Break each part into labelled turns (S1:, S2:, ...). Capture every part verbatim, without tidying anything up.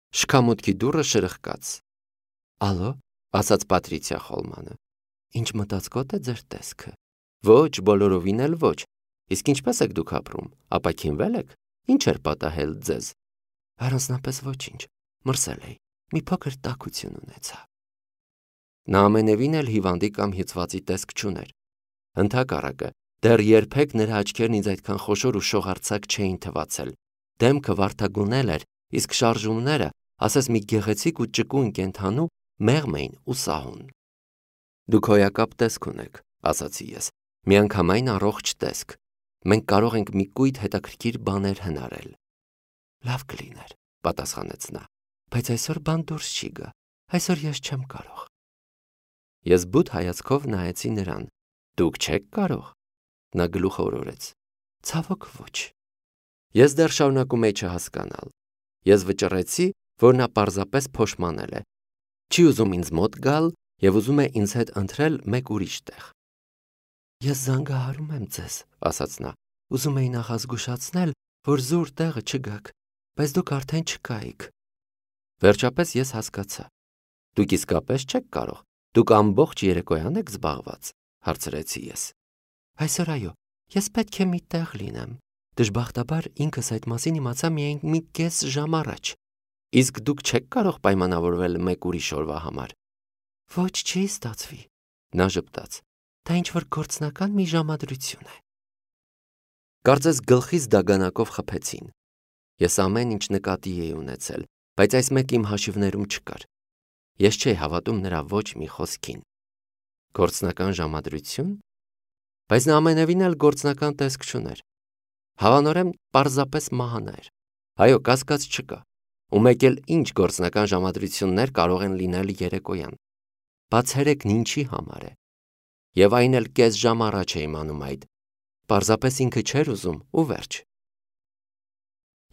S1: Շքամուտքի դուռը շրխկաց։ Ալո, ասաց Պատրիցիա Խոլմանը։ Ինչ մտածկոտ է ձեր տեսքը։ Ոչ, բոլորովին էլ ոչ։ Իսկ ինչպես եք դուք ապրում, ապաքինվել եք։ Ինչ էր պատահել ձեզ։ Առանձնապես ոչինչ, մրսել էի, մի փոքր տաքություն ունեցա։ Նա ամենևին էլ հիվանդի կամ հյուծվածի տեսք չուներ։ Ընդհակառակը, դեռ երբեք նրա աչքերն ինձ այդքան խոշոր ու շողարցակ չէին թվացել։ Դեմքը վարդագունել էր, իսկ շարժումները, ասես մի գեղեցիկ ու ճկուն կենդանու, մեղմ էին ու սահուն։ Դուք հոյակապ տեսք ունեք, ասացի ես, միանգամայն առողջ տեսք։ Մենք կարող ենք մի կույտ հետաքրքիր բաներ հնարել։ Լավ կլիներ, պատասխանեց նա, բայց այսօր բան դուրս չի գա, այսօր ես չեմ կարող։ Ես բութ հայացքով նայեցի նրան։ Դուք չեք կարող։ Նա գլուխը օրորեց։ Ցավոք ոչ։ Ես դեռ շարունակում էի չհասկանալ։ Ես վճռեցի, որ նա պարզապես փոշմանել է։ Չի ուզում ինձ մոտ գալ եւ ուզում է ինձ հետ ընթրել մեկ ուրիշ տեղ։ Ես զանգահարում եմ ձեզ, ասաց նա։ Ուզում էի նախ ազգուշացնել, որ զուր տեղը չգաք, բայց դուք արդեն չկայիք։ Վերջապես ես հասկացա։ Դուք իսկապես չեք կարող։ Դուք ամբողջ երեկոյան եք զբաղված, հարցրեցի ես։ Այսօր այո, ես պետք է մի տեղ լինեմ։ Դժբախտաբար ինքս այդ մասին իմացա միայն մի կես ժամ առաջ։ Իսկ դուք չեք կարող պայմանավորվել մեկ ուրիշ օրվա համար։ Ոչ, չի ստացվի։ Նա ժպտաց։ Դա ինչ-որ գործնական մի ժամադրություն է։ Կարծես գլխից դագանակով խփեցին։ Ես ամեն ինչ նկատի էի ունեցել, բայց այս մեկը իմ հաշիվներում չկար։ Ես չէի հավատում նրա ոչ մի խոսքին։ Գործնական ժամադրություն։ Բայց նա ամենևին էլ գործնական տեսք չուներ։ Հավանորեն պարզապես մահանա էր։ Այո, կասկած չկա։ Ու մեկ էլ ինչ գործնական ժամադրություններ կարող են լինել երեկոյան։ Բացերեկն ինչի համար է։ Եվ այն էլ կես ժամ առաջ է իմանում այդ։ Պարզապես ինքը չէր ուզում ու վերջ։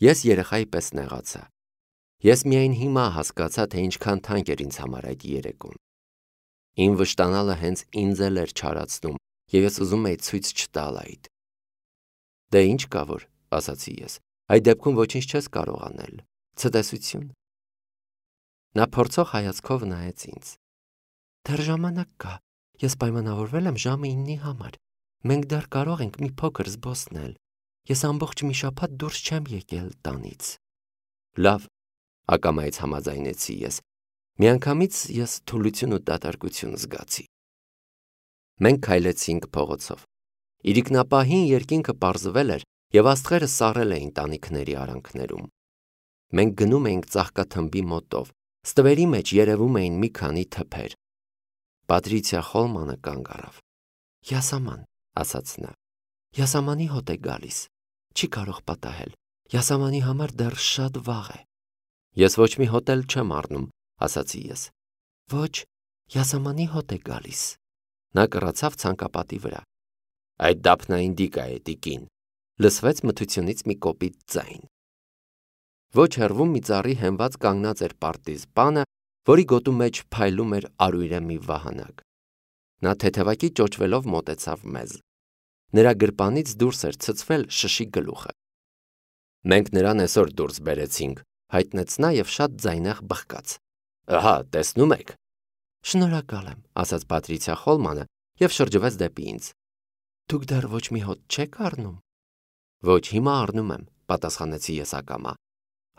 S1: Ես երեխայի պես նեղացա։ Ես միայն հիմա հասկացա, թե ինչքան թանկ էր ինձ համար այդ երեկոն։ Իմ վշտանալը հենց ինձ էլ էր չարացնում, եւ ես ուզում էի ցույց չտալ այդ։ Դե ինչ կա որ, ասացի ես, այդ դեպքում ոչինչ չես կարող անել։ Ցտեսություն։ Նա փորձող հայացքով նայեց ինձ։ Դեռ ժամանակ կա։ Ես պայմանավորվել եմ ժամը իննի համար։ Մենք դեռ կարող ենք մի փոքր զբոսնել։ Ես ամբողջ մի շաբաթ դուրս չեմ եկել տանից։ Լավ, ակամայից համաձայնեցի ես։ Միանգամից ես թուլություն ու դատարկություն զգացի։ Մենք քայլեցինք փողոցով։ Իրիկնապահին երկինքը պարզվել էր եւ աստղերը սառել էին տանիքների արանքներում։ Մենք գնում էինք ծաղկաթմբի մոտով։ Ստվերի մեջ երևում էին մի քանի թփեր։ Պատրիցիա Խոլմանը կանգ առավ։ Յասաման, ասաց նա։ Յասամանի հոտ է գալիս։ Չի կարող պատահել։ Յասամանի համար դեռ շատ վաղ է։ Ես ոչ մի հոտ էլ չեմ առնում, ասացի ես։ Ոչ, յասամանի հոտ է գալիս։ Նա կռացավ ցանկապատի վրա։ Այդ դափնային դիկա է, տիկին։ Լսվեց մթությունից մի կոպիտ ձայն։ Ոչ հեռվում մի ծառի հենված կանգնած էր պարտիզպանը, որի գոտու մեջ փայլում էր արույրե մի վահանակ։ Նա թեթևակի ճոճվելով մոտեցավ մեզ։ Նրա գրպանից դուրս էր ցցվել շշի գլուխը։ Մենք նրան այսօր դուրս բերեցինք, հայտնեց նա եւ շատ ձայնեղ բխկաց։ Ահա, տեսնում եք։ Շնորհակալ եմ, ասաց Պատրիցիա Խոլմանը եւ շրջվեց դեպի ինձ։ Դուք դեռ ոչ մի հոտ չեք առնում։ Ոչ, հիմա առնում եմ, պատասխանեցի ես ակամա։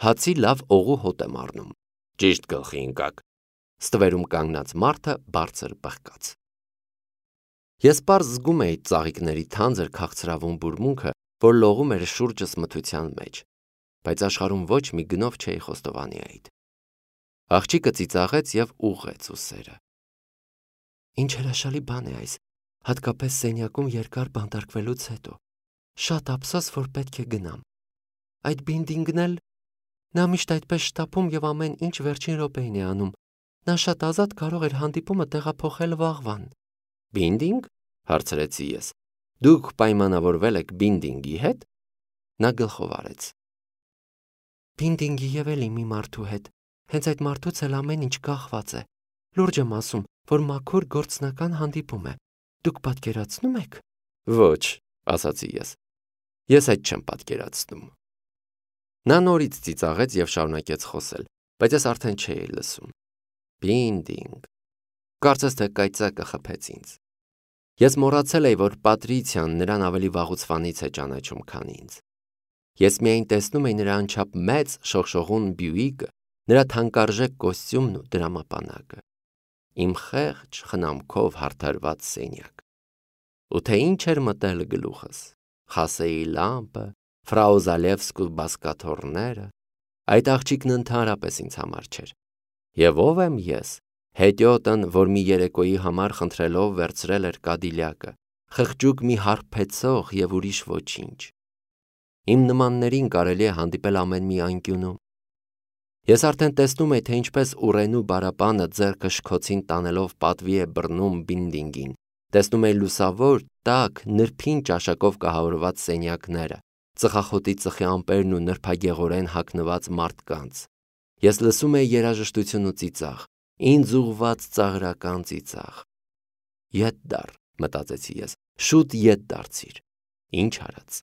S1: Հացի լավ օղու հոտ եմ առնում։ Ճիշտ գլխի ընկաք։ Ստվերում կանգնած մարդը բարձր բխկաց։ Ես պարզ զգում էի ծաղիկների թանձր քաղցրավուն բուրմունքը, որ լողում էր շուրջս մթության մեջ, բայց աշխարհում ոչ մի գնով չէի խոստովանի այդ։ Աղջիկը ծիծաղեց եւ ուղղեց ուսերը։ Ինչ հրաշալի բան է այս, հատկապես սենյակում երկար բանտարկվելուց հետո։ Շատ ափսոս, որ պետք է գնամ։ Այդ բինդինգն էլ նա միշտ այդպես շտապում եւ ամեն ինչ վերջին րոպեին է անում։ Նա շատ ազատ կարող էր հանդիպումը տեղափոխել վաղվան։ Բինդինգ, հարցրեցի ես։ Դուք պայմանավորվել եք բինդինգի հետ։ Նա գլխով արեց։ Բինդինգի եւ էլի մի մարդու հետ։ Հենց այդ մարդուց էլ ամեն ինչ կախված է։ Լուրջ եմ ասում, որ մաքուր գործնական հանդիպում է։ Դուք պատկերացնում եք։ Ոչ, ասացի ես։ Ես այդ չեմ պատկերացնում։ Նա նորից ծիծաղեց եւ շարունակեց խոսել։ բայց ես արդեն չէի լսում։ Բինդինգ։ Կարծես թե կայծակը խփեց ինձ։ Ես մոռացել էի, որ Պատրիցիան նրան ավելի վաղուց վանից է ճանաչում, քան ինձ։ Ես միայն տեսնում էի նրա անչափ մեծ շողշողուն Բյուիկը, նրա թանկարժեք կոստյումն ու դրամապանակը, իմ խեղճ խնամքով հարդարված սենյակ։ Ու թե ինչ էր մտել գլուխս, Խասեի լամպը, Ֆրաու Զալևսկու բազկաթոռները, այդ աղջիկն ընդհանրապես ինձ համար չէր։ Եվ ով եմ ես, հետիոտն, որ մի երեկոյի համար խնդրելով վերցրել էր Կադիլյակը, խղճուկ մի հարբեցող եւ ուրիշ ոչինչ։ Իմ նմաններին կարելի է հանդիպել ամեն մի անկյունում։ Ես արդեն տեսնում էի, թե ինչպես Ուռենու բարապանը ձեռքը շքոցին տանելով պատվի է բռնում Բինդինգին, տեսնում էի լուսավոր, տաք, նրբին ճաշակով կահավորված սենյակները, ծխախոտի ծխի ամպերն ու նրբագեղորեն հագնված մարդկանց։ Ես լսում էի երաժշտություն ու ծիծաղ, ինձ ուղված ծաղրական ծիծաղ։ Ետ դար, մտածեցի ես, շուտ ետ դարձիր։ Ինչ արած։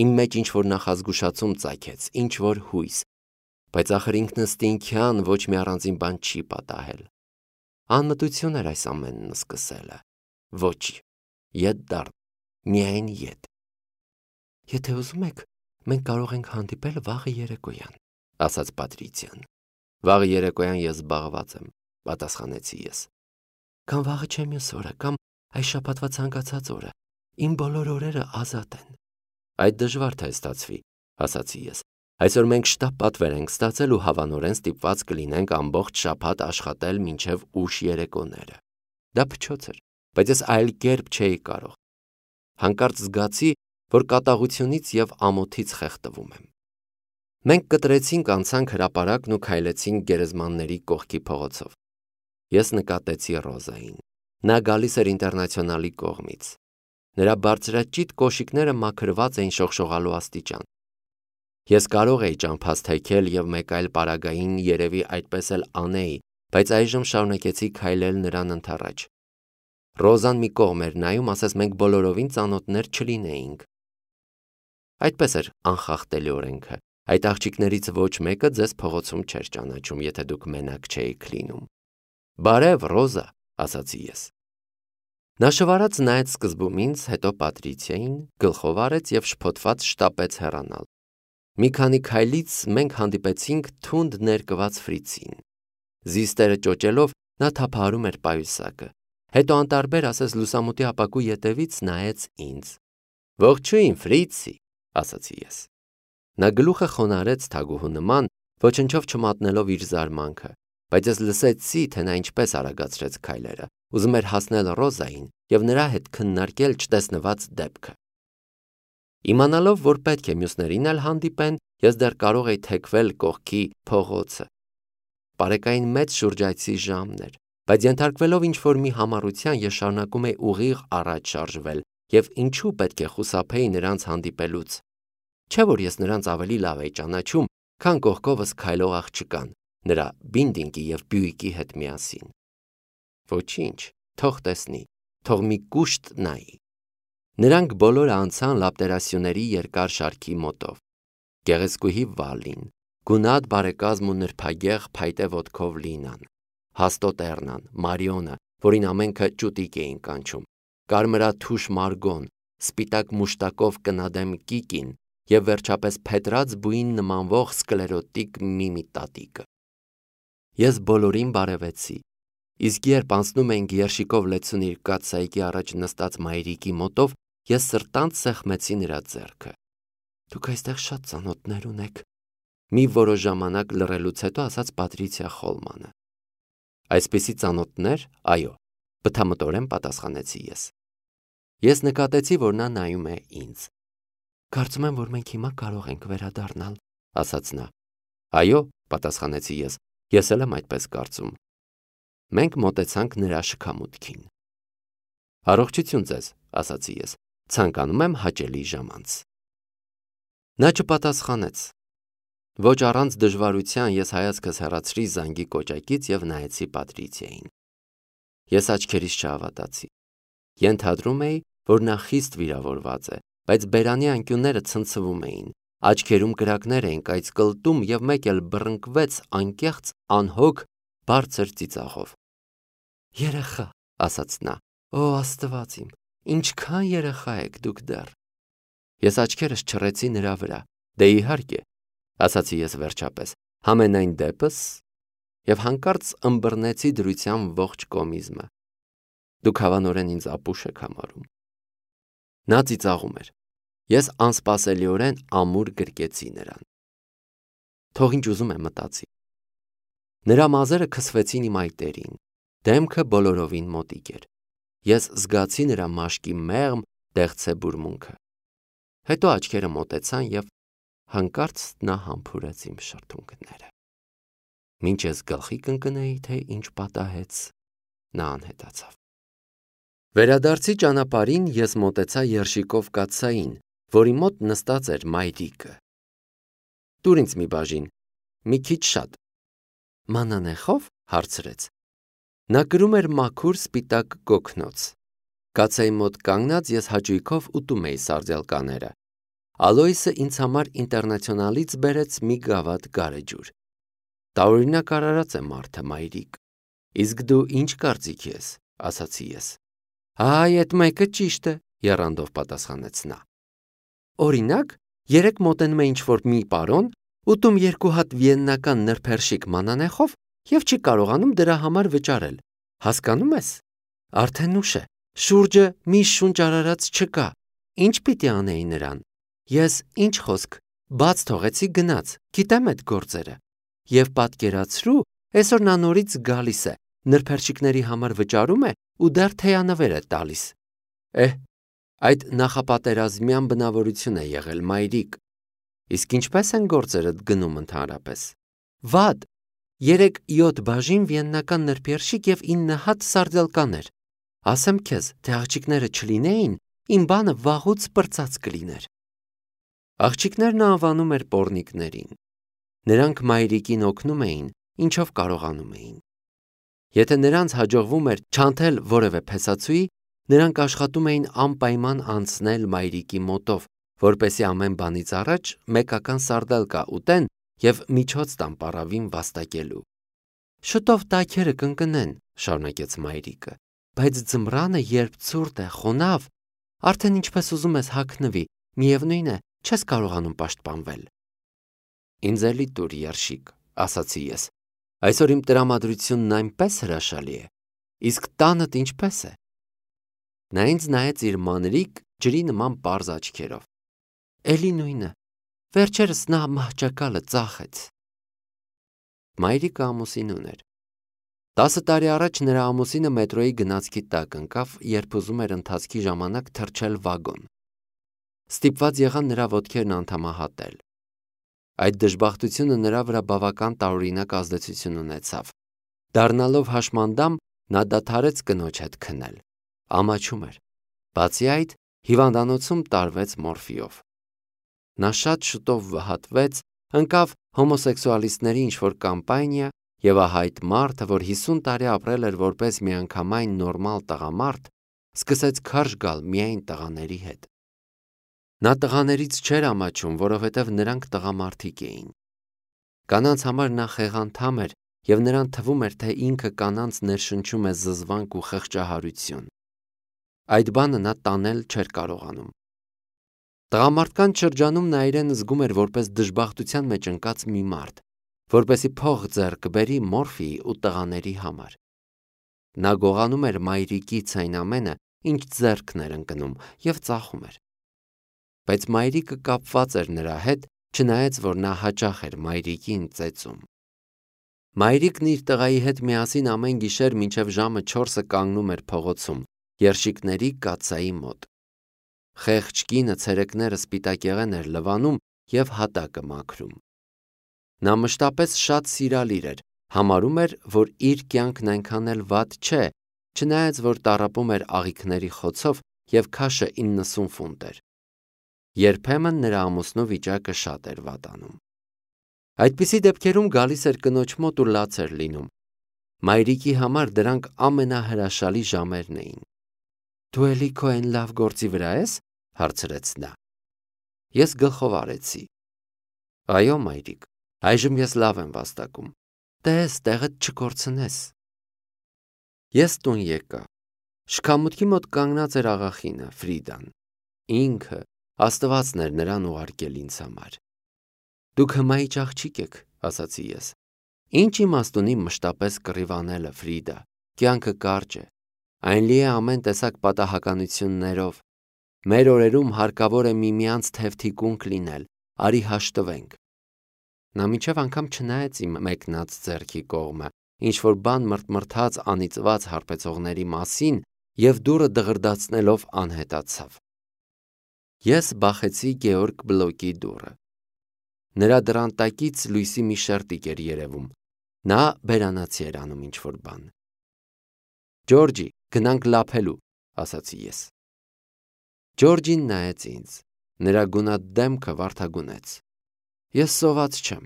S1: Իմ մեջ ինչ-որ նախազգուշացում ծագեց, ինչ-որ հույս, բայց ախր ինքնըստինքյան ոչ մի առանձին բան չի պատահել։ Անմտություն էր այս ամենն սկսելը։ Ոչ, ետ դառ, միայն ետ։ Եթե ուզում եք, մենք կարող ենք հանդիպել վաղը երեկոյան, ասաց Պատրիցիան։ Վաղը երեկոյան ես զբաղված եմ, պատասխանեցի ես։ Կամ վաղը չէ մյուս օրը, կամ այս շաբաթվա ցանկացած օրը, իմ բոլոր օրերը ազատ են։ Այդ դժվար թե ստացվի, ասացի ես։ Այսօր մենք շտապ պատվեր ենք ստացել ու հավանորեն ստիպված կլինենք ամբողջ շաբաթ աշխատել մինչև ուշ երեկոները։ Դա փչոց էր, բայց ես այլ կերպ չէի կարող։ Հանկարծ զգացի, որ կատաղությունից եւ ամոթից խեղդվում եմ։ Մենք կտրեցինք, անցանք հրապարակն ու քայլեցինք գերեզմանների կողքի փողոցով։ Ես նկատեցի Ռոզային։ Նա գալիս էր Ինտերնացիոնալի կողմից։ Նրա բարձրաճիտ կոշիկները մաքրված էին շողշողալու աստիճան։ Ես կարող էի ճամփաս թեքել եւ մեկ այլ պարագային երևի այդպես էլ անեի, բայց այժմ շարունակեցի քայլել նրան ընդառաջ։ Ռոզան մի կողմ էր նայում, ասես մենք բոլորովին ծանոթներ չլինեինք։ Այդպես էր անխախտելի օրենքը։ Այդ աղջիկներից ոչ մեկը ձեզ փողոցում չէր ճանաչում, եթե դուք մենակ չէիք լինում։ Բարև, Ռոզա, ասացի ես։ Նա շվարած նայեց սկզբում ինձ, հետո Պատրիցիային, գլխով արեց եւ շփոթված շտապեց հեռանալ։ Մի քանի քայլից մենք հանդիպեցինք թունդ ներկված Ֆրիցին։ Զիստերը ճոճելով նա թափահարում էր պայուսակը։ Հետո անտարբեր ասես լուսամուտի ապակու ետևից նայեց ինձ։ Ողջույն, Ֆրիցի, ասացի ես։ Նա գլուխը խոնարհեց թագուհու նման, ոչնչով չմատնելով իր զարմանքը, բայց ես լսեցի, թե նա ինչպես արագացրեց քայլերը, ուզում էր հասնել Ռոզային եւ նրա հետ քննարկել չտեսնված դեպքը։ Իմանալով, որ պետք է մյուսներին էլ հանդիպեն, ես դեռ կարող էի թեքվել կողքի փողոցը։ Պարեկային մեծ շուրջայցի ժամն էր, բայց ենթարկվելով ինչ-որ մի համառության ես շարունակում էի ուղիղ առաջ շարժվել եւ ինչու պետք է խուսափեի նրանց հանդիպելուց։ Չէ՞ որ ես նրանց ավելի լավ էի ճանաչում, քան կողքովս քայլող աղջկան, նրա Բինդինգի եւ Բյուիկի հետ միասին։ Ոչինչ, թող տեսնի, թող մի կուշտ նայի։ Նրանք բոլորը անցան լապտերասյուների երկար շարքի մոտով։ Գեղեցկուհի Վալին, գունատ բարեկազմ ու նրբագեղ փայտե ոտքով Լինան, հաստոտ Էռնան, Մարիոնը, որին ամենքը ճուտիկ էին կանչում, կարմրաթուշ Մարգոն, սպիտակ մուշտակով կնադեմ Կիկին եւ վերջապես փետրած բույն նմանվող սկլերոտիկ Միմի տատիկը։ Ես բոլորին բարևեցի, իսկ երբ անցնում էինք երշիկով լեցունիր կաթսայիկի առաջ նստած մայրիկի մոտով, ես սրտանց սեղմեցի նրա ձեռքը։ Դուք այստեղ շատ ծանոթներ ունեք, մի որոշ ժամանակ լռելուց հետո ասաց Պատրիցիա Խոլմանը։ Այսպիսի ծանոթներ, այո, բթամտորեն պատասխանեցի ես։ Ես նկատեցի, որ նա նայում է ինձ։ Կարծում եմ, որ մենք հիմա կարող ենք վերադառնալ, ասաց նա։ Այո, պատասխանեցի ես, ես էլ եմ այդպես կարծում։ Մենք մոտեցանք նրա շքամուտքին։ Առողջություն ձեզ, ասացի ես, ցանկանում եմ հաճելի ժամանց։ Նա չպատասխանեց։ Ոչ առանց դժվարության ես հայացքս հեռացրի զանգի կոճակից եւ նայեցի Պատրիցիային։ Ես աչքերիս չհավատացի։ Ենթադրում էի, որ նա խիստ վիրավորված է, բայց բերանի անկյունները ցնցվում էին, Աչքերում կրակներ էին կայծկլտում և մեկ էլ բռնկվեց անկեղծ, անհոգ, բարձր ծիծաղով։ Երեխա, ասաց նա, օ Աստված իմ, ինչքան երեխա եք դուք դեռ։ Ես աչքերս չռեցի նրա վրա, դե իհարկե, ասացի ես վերջապես, համենայն դեպս, և հանկարծ ըմբռնեցի դրության ողջ կոմիզմը։ Դուք հավանորեն ինձ ապուշ եք համարում։ Նա ծիծաղում էր։ Ես անսպասելիորեն ամուր գրկեցի նրան։ Թող ինչ ուզում է մտածի։ Նրա մազերը քսվեցին իմ այտերին, դեմքը բոլորովին մոտիկ էր։ Ես զգացի նրա մաշկի մեղմ դեղցե բուրմունքը։ Հետո աչքերը մոտեցան և հանկարծ նա համբուրեց իմ շրթունքները։ Մինչ ես գլխի կընկնեի, թե ինչ պատահեց, նա անհետացավ։ Վերադարձի ճանապարհին ես մոտեցա երշիկով կաթսային, որի մոտ նստած էր մայրիկը։ Տուր ինձ մի բաժին, մի քիչ շատ։ Մանանեխո՞վ, հարցրեց։ Նա կրում էր մաքուր սպիտակ կոկնոց։ Կաթսայի մոտ կանգնած ես հաճույքով ուտում էի սարդելկաները։ Ալոյսը ինձ համար ինտերնացիոնալից բերեց մի գավաթ գարեջուր։ Տարօրինակ արարած է մարդը, մայրիկ։ Իսկ դու ինչ կարծիքի ես, ասացի ես։ Այ, էդ մեկը ճիշտ է, եռանդով պատասխանեց նա։ Օրինակ, երեկ մոտենում է ինչ-որ մի պարոն, ուտում երկու հատ վիեննական նրբերշիկ մանանեխով և չի կարողանում դրա համար վճարել։ Հասկանում ես։ Արդեն ուշ է, շուրջը մի շունչ արարած չկա։ Ինչ պիտի անեի նրան։ Ես, ինչ խոսք, բաց թողեցի գնաց, գիտեմ էդ գործերը։ Եվ պատկերացրու, այսօր նա նորից գալիս է, նրբերշիկների համար վճարում է ու դեռ թեյանվեր է տալիս։ Էհ, այդ նախապատերազմյան բնավորություն է եղել, մայրիկ։ Իսկ ինչպես են գործերդ գնում ընդհանրապես։ Վատ։ Երեք յոթ բաժին վիեննական նրբերշիկ և ինը հատ սարդելկաներ։ Ասեմ քեզ, թե աղջիկները չլինեին, իմ բանը վաղուց պրծած կլիներ։ Աղջիկներն անվանում էր պոռնիկներին։ Նրանք մայրիկին օգնում էին, ինչով կարողանում էին։ Եթե նրանց հաջողվում էր չանթել որևէ փեսացուի, նրանք աշխատում էին անպայման անցնել մայրիկի մոտով, որպեսզի ամեն բանից առաջ մեկական սարդելկա ուտեն և միջոց տան պառավին վաստակելու։ Շուտով տաքերը կընկնեն, շարունակեց մայրիկը, բայց ձմռանը, երբ ցուրտ է, խոնավ, արդեն ինչպես ուզում ես հագնվի, միևնույն է, չես կարողանում պաշտպանվել։ Ինձ էլի տուր երշիկ, ասացի ես։ Այսօր իմ տրամադրությունն այնպես հրաշալի է, իսկ տանդ ինչպես է։ Նա ինձ նայեց իր մանրիկ, ջրի նման պարզ աչքերով։ Էլի նույնը, վերջերս նա մահճակալը ծախեց։ Մայրիկը ամուսին ուներ։ Տասը տարի առաջ նրա ամուսինը մետրոյի գնացքի տակ ընկավ, երբ ուզում էր ընթացքի ժամանակ թռչել վագոն։ Ստիպված եղան նրա ոտքերն անդամահատել։ Այդ դժբախտությունը նրա վրա բավական տարօրինակ ազդեցություն ունեցավ։ Դառնալով հաշմանդամ, նա դադարեց կնոջ հետ քնել։ Ամաչում էր։ Բացի այդ, հիվանդանոցում տարվեց մորֆիով։ Նա շատ շուտով վհատվեց, ընկավ հոմոսեքսուալիստների ինչ-որ կամպանիա և ահա այդ մարդը, որ հիսուն տարի ապրել էր որպես միանգամայն նորմալ տղամարդ, սկսեց քարշ գալ միայն տղաների հետ։ Նա տղաներից չէր ամաչում, որովհետև նրանք տղամարդիկ էին։ Կանանց համար նա խեղանդամ էր և նրան թվում էր, թե ինքը կանանց ներշնչում է զզվանք ու խղճահարություն։ Այդ բանը նա տանել չէր կարողանում։ Տղամարդկանց շրջանում նա իրեն զգում էր որպես դժբախտության մեջ ընկած մի մարդ, որպեսզի փող ձեռք բերի մորֆիի ու տղաների համար։ Նա գողանում էր մայրիկից այն ամենը, ինչ ձեռքն էր ընկնում, և ծախում էր։ Բայց մայրիկը կապված էր նրա հետ, չնայած որ նա հաճախ էր մայրիկին ծեծում։ Մայրիկն իր տղայի հետ միասին ամեն գիշեր մինչև ժամը չորսը կանգնում էր փողոցում, երշիկների կաթսայի մոտ։ Խեղճ կինը ցերեկները սպիտակեղեն էր լվանում և հատակը մաքրում։ Նա մշտապես շատ սիրալիր էր, համարում էր, որ իր կյանքն այնքան էլ վատ չէ, չնայած որ տառապում էր աղիքների խոցով և քաշը իննսուն ֆունտ էր։ Երբեմն նրա ամուսնու վիճակը շատ էր վատանում։ Այդպիսի դեպքերում գալիս էր կնոջ մոտ ու լաց էր լինում։ Մայրիկի համար դրանք ամենահրաշալի ժամերն էին։ Դու էլի քո այն լավ գործի վրա ես, հարցրեց նա։ Ես գլխով արեցի։ Այո, մայրիկ, այժմ ես լավ եմ վաստակում, տես, տեղդ չկորցնես։ Ես տուն եկա, շքամուտքի մոտ կանգնած էր աղախինը, Ֆրիդան, ինքը, Աստվածն էր նրան ուղարկել ինձ համար։ Դուք հմայիչ աղջիկ եք, ասացի ես, ինչ իմաստ ունի մշտապես կռիվ անելը, Ֆրիդա, կյանքը կարճ է, այն լի է ամեն տեսակ պատահականություններով, մեր օրերում հարկավոր է միմյանց թևթիկունք լինել, արի հաշտվենք։ Նա մինչև անգամ չնայեց իմ մեկնած ձեռքի կողմը, ինչ-որ բան մրթմրթաց անիծված հարբեցողների մասին և դուռը դղրդացնելով անհետացավ։ Ես բախեցի Գեորգ Բլոկի դուռը։ Նրա դռան տակից լույսի մի շերտիկ էր երևում, նա բերանացի էր անում ինչ-որ բան։ Ջորջի, գնանք լափելու, ասացի ես։ Ջորջին նայեց ինձ, նրա գունատ դեմքը վարդագունեց։ Ես սոված չեմ։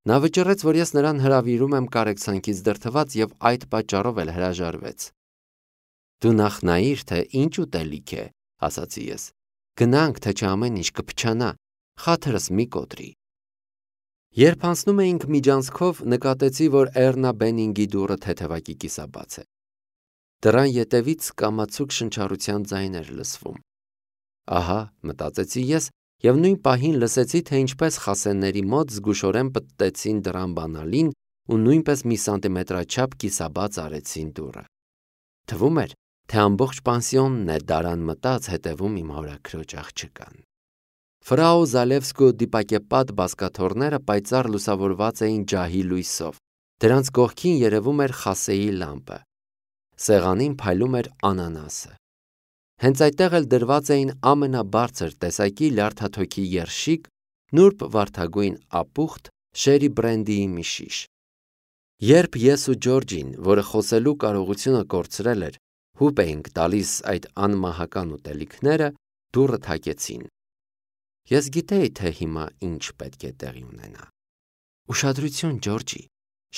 S1: Նա վճռեց, որ ես նրան հրավիրում եմ կարեկցանքից դրդված և այդ պատճառով էլ հրաժարվեց։ Դու նախ նայիր, թե ինչ ուտելիք է, ասացի ես։ Գնանք, թե չէ ամեն ինչ կփչանա, խաթրս մի կոտրի։ Երբ անցնում էինք միջանցքով, նկատեցի, որ Էռնա Բենինգի դուռը թեթևակի կիսաբաց է։ Դռան ետևից կամացուկ շնչառության ձայն էր լսվում։ Ահա, մտածեցի ես, և նույն պահին լսեցի, թե ինչպես խասենների մոտ զգուշորեն պտտեցին դռան բանալին ու նույնպես մի սանտիմետրաչափ կիսաբաց արեցին դուռը։ Թվում էր, թե ամբողջ պանսիոնն է դարան մտած հետևում իմ հորաքրոջ աղջկան։ Ֆրաու Զալևսկու դիպակեպատ բազկաթոռները պայծառ լուսավորված էին ջահի լույսով, դրանց կողքին երևում էր խասեի լամպը, սեղանին փայլում էր անանասը։ Հենց այդտեղ էլ դրված էին ամենաբարձր տեսակի լյարդաթոքի երշիկ, նուրբ վարդագույն ապուխտ, շերի բրենդիի մի շիշ։ Երբ ես ու Ջորջին, որը խոսելու կարողությունը կորցրել էր, հուպ էինք տալիս այդ անմահական ուտելիքները, դուռը թակեցին։ Ես գիտեի, թե հիմա ինչ պետք է տեղի ունենա։ Ուշադրություն, Ջորջի,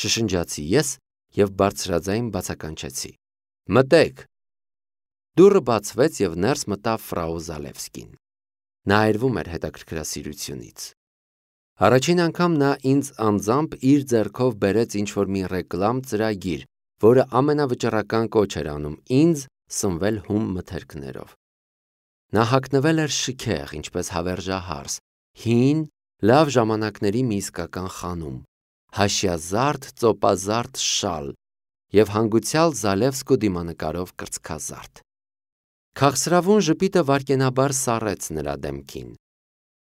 S1: շշնջացի ես և բարձրաձայն բացականչեցի։ Մտեք։ Դուռը բացվեց և ներս մտավ ֆրաու Զալևսկին։ Նա այրվում էր հետաքրքրասիրությունից։ Առաջին անգամ նա ինձ անձամբ իր ձեռքով բերեց ինչ-որ մի ռեկլամ ծրագիր, որը ամենավճռական կոչ էր անում ինձ սնվել հում մթերքներով։ Նա հագնվել էր շքեղ, ինչպես հավերժահարս, հին, լավ ժամանակների մի իսկական խանում, հաշյազարդ, ծոպազարդ շալ և հանգուցյալ Զալևսկու դիմանկարով կրծքազարդ։ Քաղցրավուն ժպիտը վայրկենաբար սառեց նրա դեմքին։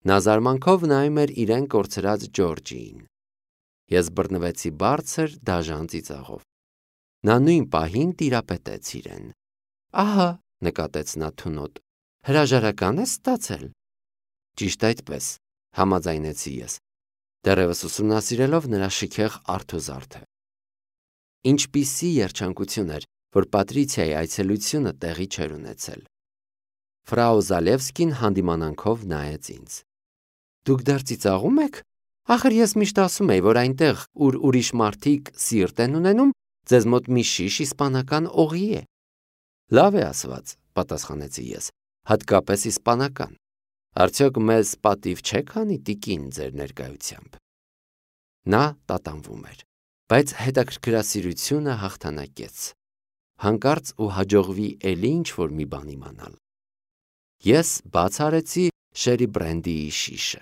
S1: Նա զարմանքով նայում էր իրեն կորցրած Ջորջիին։ Ես բռնվեցի բարձր, դաժան ծիծաղով։ Նա նույն պահին տիրապետեց իրեն։ Ահա, նկատեց նա թունոտ, հրաժարական ես ստացել։ Ճիշտ այդպես, համաձայնեցի ես, դեռևս ուսումնասիրելով նրա շքեղ արթուզարդը։ Ինչպիսի երջանկություն էր, որ Պատրիցիայի այցելությունը տեղի չէր ունեցել։ Ֆրաու Զալևսկին հանդիմանանքով նայեց ինձ։ Դուք դեռ ծիծաղում եք։ Ախր ես միշտ ասում էի, որ այնտեղ, ուր ուրիշ մարդիկ սիրտ են ունենում, ձեզ մոտ մի շիշ իսպանական օղի է։ Լավ է ասված, պատասխանեցի ես, հատկապես իսպանական։ Արդյոք մեզ պատիվ չեք անի տիկին ձեր ներկայությամբ։ Նա տատանվում էր, բայց հետաքրքրասիրությունը հաղթանակեց։ Հանկարծ ու հաջողվի էլի ինչ-որ մի բան իմանալ։ Ես բաց արեցի շերի բրենդիի շիշը։